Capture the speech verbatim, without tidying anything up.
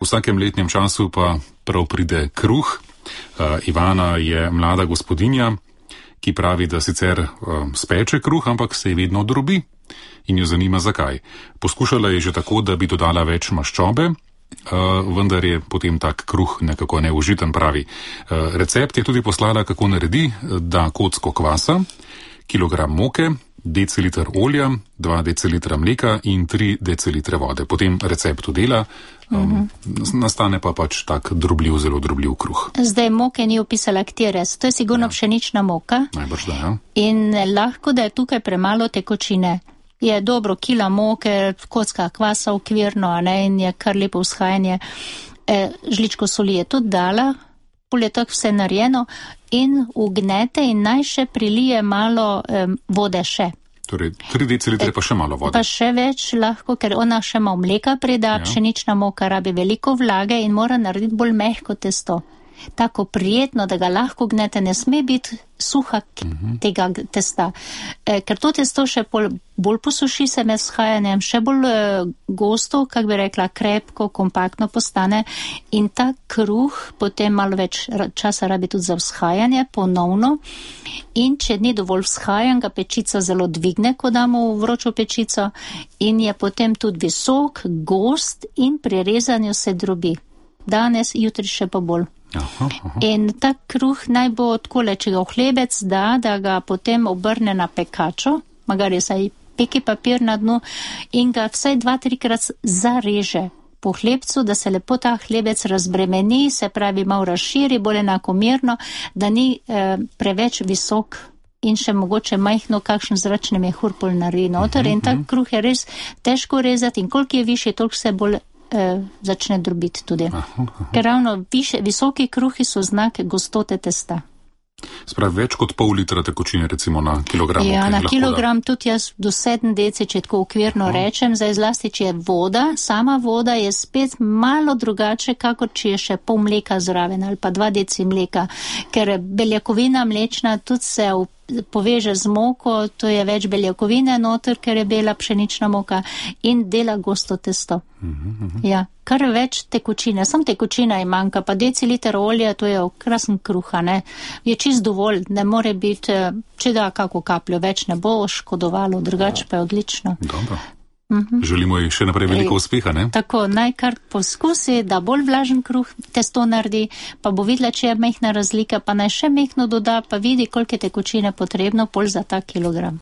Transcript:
V vsakem letnem času pa prav pride kruh. Uh, Ivana je mlada gospodinja, ki pravi, da sicer uh, speče kruh, ampak se je vedno drobi in jo zanima zakaj. Poskušala je že tako, da bi dodala več maščobe, uh, vendar je potem tak kruh nekako neužiten, pravi. Uh, recept je tudi poslala, kako naredi, da kocko kvasa, kilogram moke, deciliter olja, dva decilitra mleka in tri decilitre vode. Potem recept dela, um, uh-huh. nastane pa pač tak drobljiv, zelo drobljiv kruh. Zdaj moke ni opisala katere, to je sigurno ja. pšenična moka. Najbrž da, ja. In lahko, da je tukaj premalo tekočine. Je dobro kila moke, kocka kvasa okvirno, a ne, in je kar lepo vzhajanje. E, žličko soli je tudi dala, pol je tako vse narejeno in ugnete in naj še prilije malo um, vode še. Torej, tri decilitre pa še malo vode. Pa še več lahko, ker ona še malo mleka prida, ja. Pšenična moka rabi veliko vlage in mora narediti bolj mehko testo. Tako prijetno, da ga lahko gnete, ne sme biti suha uh-huh. tega testa. E, ker to testo še pol, bolj posuši se med vzhajanjem, še bolj e, gosto, kak bi rekla, krepko, kompaktno postane in ta kruh potem malo več časa rabi tudi za vzhajanje, ponovno. In če ni dovolj vzhajan, ga pečica zelo dvigne, ko damo v vročo pečico in je potem tudi visok, gost in pri rezanju se drobi. Danes, jutri še pa bolj. Aha, aha. In ta kruh naj bo takole, če ga v hlebec da, da ga potem obrne na pekačo, magari saj peki papir na dnu in ga vsaj dva, trikrat zareže po hlebcu, da se lepo ta hlebec razbremeni, se pravi malo razširi, bolj enakomerno, da ni eh, preveč visok in še mogoče majhno kakšen zračni mehur pol naredi noter. In ta kruh je res težko rezati in koliko je višji, toliko se bolj Eh, začne drobiti tudi. Aha, aha. Ker ravno više, visoki kruhi so znak gostote testa. Spravi več kot pol litra tekočine recimo na kilogram. Ja, na kilogram da. Tudi jaz do sedem deci, če tako okvirno aha. Rečem, zdaj zlasti, če je voda, sama voda je spet malo drugače, kakor če je še pol mleka zraven ali pa dva deci mleka, ker beljakovina mlečna tudi se v poveže z moko, to je več beljakovine noter, ker je bela pšenična moka in dela gosto testo. Uh-huh, uh-huh. Ja, kar več tekočine, sam tekočina je manjka, pa deciliter olja, to je krasen kruha, ne. Je čist dovolj, ne more biti, če da kako kapljo, več ne bo škodovalo, drugače pa je odlično. Dobro. Uh-huh. Želimo ji še naprej veliko Ej, uspeha, ne? Tako, naj kar poskusi, da bolj vlažen kruh testo naredi, pa bo videla, če je mehna razlika, pa naj še mehno doda, pa vidi, koliko je tekočine potrebno, pol za ta kilogram.